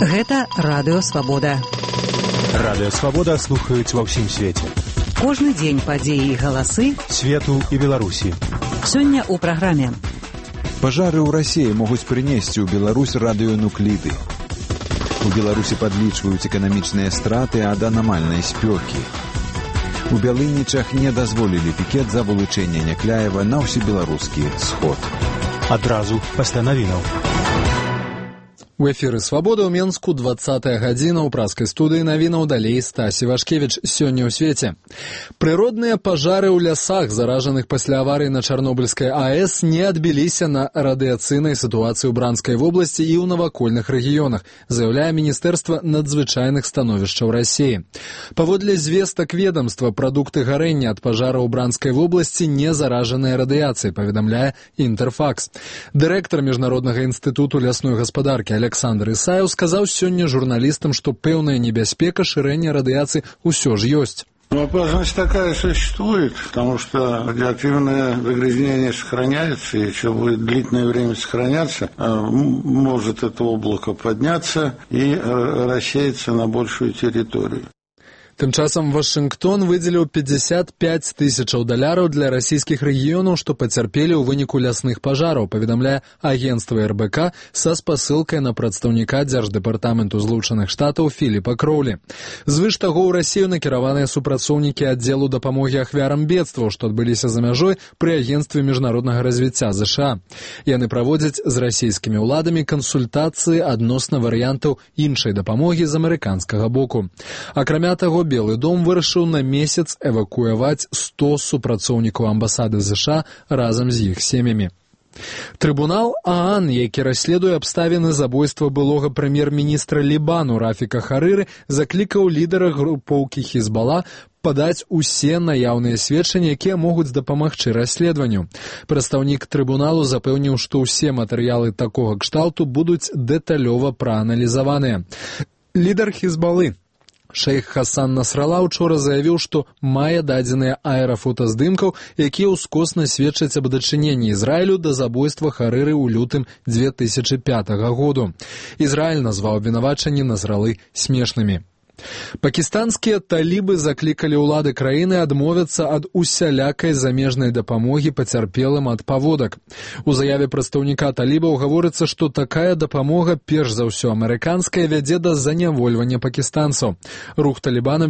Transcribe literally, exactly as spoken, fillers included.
Гэта Радыё Свабода. Радыё Свабода слухаюць ва ўсім свеце. Кожны дзень падзеі і галасы свету і Беларусі. Сёння ў праграме. Пажары ў Расіі могуць прынесці ў Беларусь радыёнукліды. У Беларусі падлічваюць эканамічныя страты ад анамальнай спёкі. У Бялынічах не дазволілі пікет за вылучэнне Някляева на ўсебеларускі сход. Адразу пасля навінаў. У эфіры «Свабода» ў Менску, двадцатая гадзіна, ў праскай студыі навінаў далей Стасі Вашкевіч. Сёння ў свеце. Прыродныя пажары ў лясах, заражаных пасля аварыі на Чарнобыльскай АЭС, не адбіліся на радыяцыйнай сітуацыі ў Бранскай вобласці і ў навакольных рэгіёнах, заяўляе Міністэрства надзвычайных становішчаў Расіі. Паводле звестак ведамства, прадукты гарэння ад пажара ў Бранскай вобласці не заражаныя радыяцыяй, паведамляе Інтэрфакс. Дырэктар Міжнароднага інстытуту лясной гаспадаркі Александр Исаев сказал сегодня журналистам, что пэўная небяспека ширения радиации усё ж есть. Ну, опасность такая существует, потому что радиоактивное загрязнение сохраняется, и еще будет длительное время сохраняться, может это облако подняться и рассеяться на большую территорию. Тым часам Вашынгтон выдзеліў пятьдесят пять тысячаў даляраў для расійскіх рэгіёнаў, што пацярпелі ў выніку лясных пажараў, паведамляе агенцтва эр бэ ка са спасылкай на прадстаўніка Дзярждэпартаменту Злучаных Штатаў Філіпа Кроўлі. Звыш таго, ў Расію накіраваныя супрацоўнікі аддзелу дапамогі ахвярам бедстваў, што адбыліся за мяжой пры агенцтве міжнароднага развіцця ЗША. Яны праводзяць з расійскімі ўладамі кансультацыі адносна варыянтаў іншай дапамогі з амерыканскага боку. Акрамя таго, Белы дом вырашыў на месяц эвакуяваць сто супрацоўнікаў амбасады ЗША разам з іх сем'ямі. Трыбунал ААН, які расследуе абставіны забойства былога прэм'ер-міністра Лібану Рафіка Харыры, заклікаў лідара групоўкі Хізбала падаць усе наяўныя сведчанні, якія могуць дапамагчы расследаванню. Прадстаўнік трыбуналу запэўніў, што ўсе матэрыялы такога кшталту будуць дэталёва прааналізаваныя. Лідар Хізбалы Шэйх Хасан Насрала учора заявіў, што мае дадзеныя аэрафотаздымкаў, якія ўскосна сведчаць аб дачыненні Ізраілю да забойства Харыры ў лютым две тысячы пятага году. Ізраіль назваў абвінавачанні Насралы смешнымі. Пакістанскія талібы заклікалі ўлады краіны адмовіцца ад усялякай замежнай дапамогі пацярпелым ад паводак. У заяве прадстаўніка талібаў гаворыцца, што такая дапамога, перш за ўсё амерыканская, вядзе да занявольвання пакістанцаў. Рух Талібана